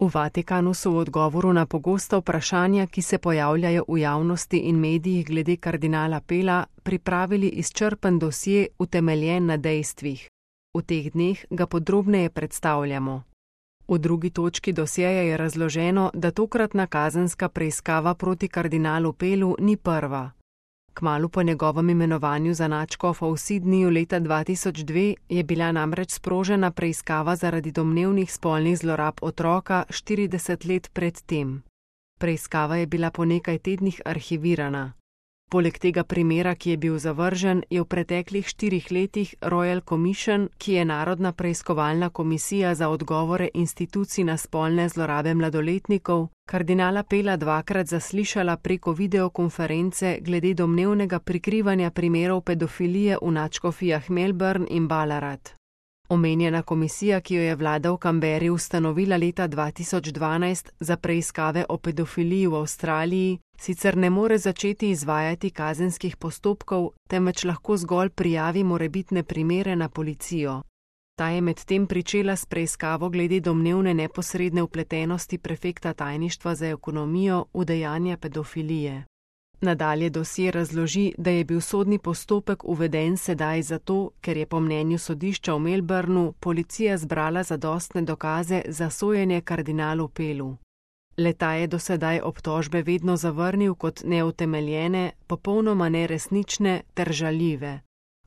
V Vatikanu so v odgovoru na pogosta vprašanja, ki se pojavljajo v javnosti in medijih glede kardinala Pela, pripravili izčrpen dosje, utemeljen na dejstvih. V teh dneh ga podrobneje predstavljamo. V drugi točki dosjeja je razloženo, da tokratna kazenska preiskava proti kardinalu Pelu ni prva. Kmalu po njegovem imenovanju za nadškofa v Sydneyju leta 2002 je bila namreč sprožena preiskava zaradi domnevnih spolnih zlorab otroka 40 let pred tem. Preiskava je bila po nekaj tednih arhivirana. Poleg tega primera, ki je bil zavržen, je v preteklih 4 letih Royal Commission, ki je Narodna preiskovalna komisija za odgovore institucij na spolne zlorabe mladoletnikov, kardinala Pela dvakrat zaslišala preko videokonference glede domnevnega prikrivanja primerov pedofilije v nadškofijah Melbourne in Ballarat. Omenjena komisija, ki jo je vlada v Canberri ustanovila leta 2012 za preiskave o pedofiliji v Avstraliji, sicer ne more začeti izvajati kazenskih postopkov, temveč lahko zgolj prijavi morebitne primere na policijo. Ta je medtem pričela s preiskavo glede domnevne neposredne vpletenosti prefekta tajništva za ekonomijo v dejanja pedofilije. Nadalje dosje razloži, da je bil sodni postopek uveden sedaj zato, ker je po mnenju sodišča v Melbourneu policija zbrala zadostne dokaze za sojenje kardinalu Pelu. Le-ta je do sedaj obtožbe vedno zavrnil kot neutemeljene, popolnoma neresnične ter žaljive.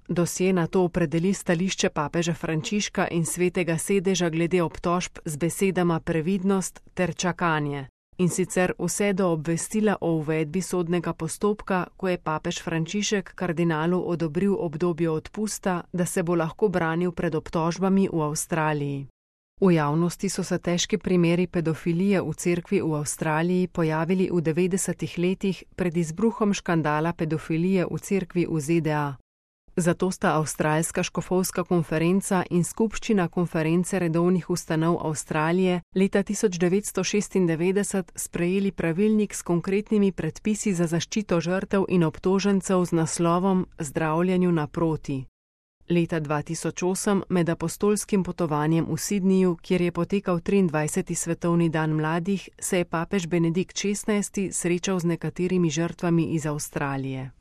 Dosje nato opredeli stališče papeža Frančiška in Svetega sedeža glede obtožb z besedama previdnost ter čakanje. In sicer vse do obvestila o uvedbi sodnega postopka, ko je papež Frančišek kardinalu odobril obdobje odpusta, da se bo lahko branil pred obtožbami v Avstraliji. V javnosti so se težki primeri pedofilije v cerkvi v Avstraliji pojavili v 90. letih pred izbruhom škandala pedofilije v cerkvi v ZDA. Zato sta Avstralska škofovska konferenca in skupščina konference redovnih ustanov Avstralije leta 1996 sprejeli pravilnik s konkretnimi predpisi za zaščito žrtev in obtožencev z naslovom Zdravljenju naproti. Leta 2008 med apostolskim potovanjem v Sydneyju, kjer je potekal 23. svetovni dan mladih, se je papež Benedikt XVI srečal z nekaterimi žrtvami iz Avstralije.